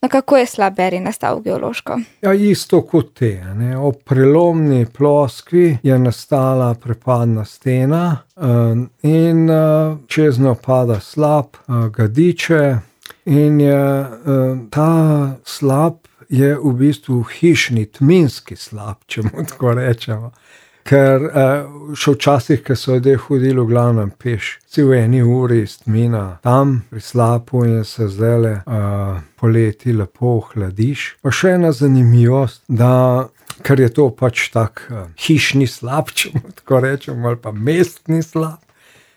No, kako je slap Beri nastal geološko? Ja, isto kot te. Ob prelomni ploskvi je nastala prepadna stena in čez njo pada slap, ga diče in je ta slap je v bistvu hišni, tminski slap, če mu tako rečemo. Ker še včasih, ko so ljudje hodili v glavnem peš, si v 1 uri iz Tmina tam pri slapu in se zdajle poleti lepo ohladiš. Pa še ena zanimivost, da ker je to pač tak hišni slap, če mu tako rečemo, ali pa mestni slap,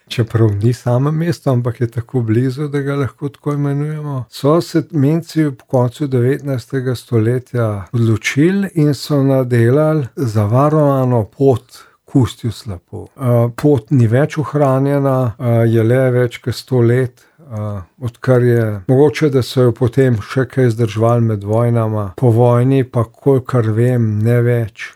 čeprav ni samo mesto, ampak je tako blizu, da ga lahko tako imenujemo. So se Tminci v koncu 19. stoletja odločili in so nadelali zavarovano pot k ustju slapu. Pot ni več ohranjena, je le več kot 100 let, odkar je mogoče, da so jo potem še kaj zdrževali med vojnama. Po vojni pa, kolikor vem, ne več.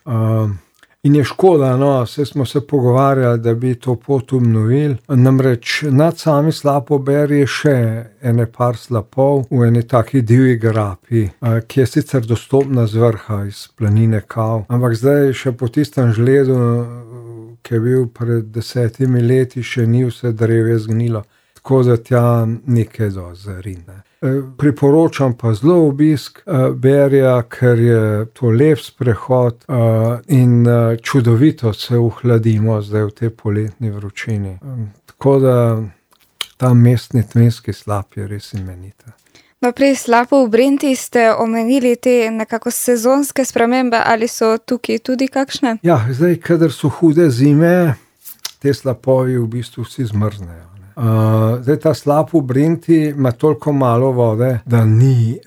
In je škoda, saj smo se pogovarjali, da bi to pot obnovili. Namreč nad sami slapo Beri je še ene par slapov v eni taki divji grapi, ki je sicer dostopna z vrha iz planine Kav. Ampak zdaj še po tistem žledu, ki je bil pred 10 leti, še ni vse drevje zgnilo. Tako da tja nekaj dosti zarine. Priporočam pa zelo obisk Berija, ker je to lep sprehod in čudovito se ohladimo zdaj v tej poletni vročini. Tako da ta mestni tminski slap je res imenita. No, pri slapu v Brenti ste omenili te nekako sezonske spremembe, ali so tukaj tudi kakšne? Ja, zdaj, kadar so hude zime, te slapovi v bistvu vsi zmrznejo. Zdaj ta slap v Brenti ima toliko malo vode, da ni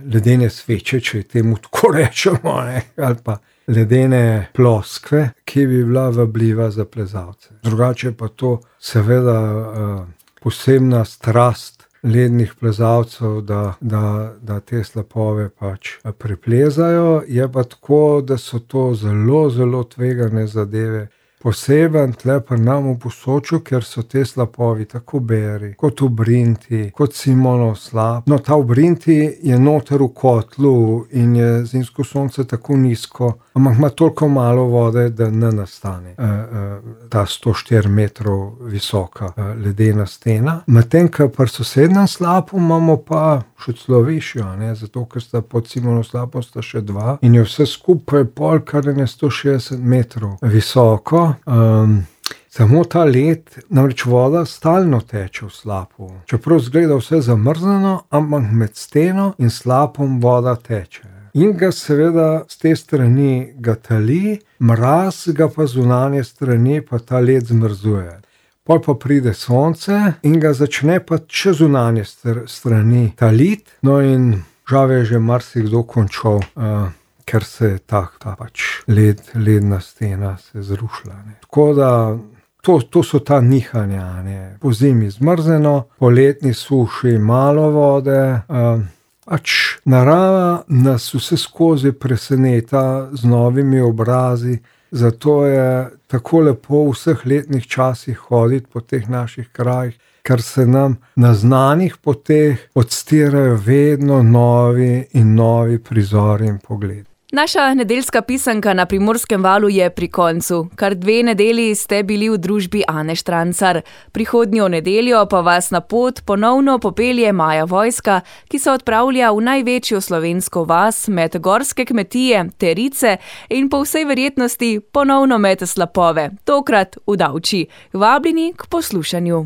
ledene sveče, če temu tako rečemo, ali pa ledene ploskve, ki bi bila vabljiva za plezalce. Drugače pa to seveda posebna strast lednih plezalcev, da te slapove pač preplezajo. Je pa tako, da so to zelo, zelo tvegane zadeve. Poseben tle pri nam v Posočju, ker so te slapovi tako Beri, kot v Brinti, kot Simonov slap. No, ta v Brinti je noter v kotlu in je zimsko sonce tako nizko, ampak ima toliko malo vode, da ne nastane ta 104 metrov visoka ledena stena. Medtem, ko pri sosednjem slapu imamo pa še celo višjo, zato ker sta pod Simonov slapom sta še 2 in je vse skupaj pol, kar je 160 metrov visoko. Samo ta led, namreč voda stalno teče v slapu. Čeprav zgleda vse zamrznjeno, ampak med steno in slapom voda teče. In ga seveda z te strani ga tali, mraz ga pa zunanje strani pa ta led zmrzuje. Pol pa pride sonce in ga začne pa še zunanje strani taliti, no in žal je že marsikdo končal, ker se je ta pač ledna stena se zrušila. Tako da to so ta nihanja. Po zimi zmrzeno, po letni suši malo vode. Pač narava nas vse skozi preseneta z novimi obrazi, zato je tako lepo v vseh letnih časih hoditi po teh naših krajih, ker se nam na znanih poteh odstirajo vedno novi in novi prizori in pogledi. Naša nedeljska pisanka na Primorskem valu je pri koncu. Kar 2 nedelji ste bili v družbi Ane Štrancar. Prihodnjo nedeljo pa vas na pot ponovno popelje Maja Vojska, ki se odpravlja v največjo slovensko vas med gorske kmetije, Terice in po vsej verjetnosti ponovno med slapove, tokrat v Davči. Vabljeni k poslušanju.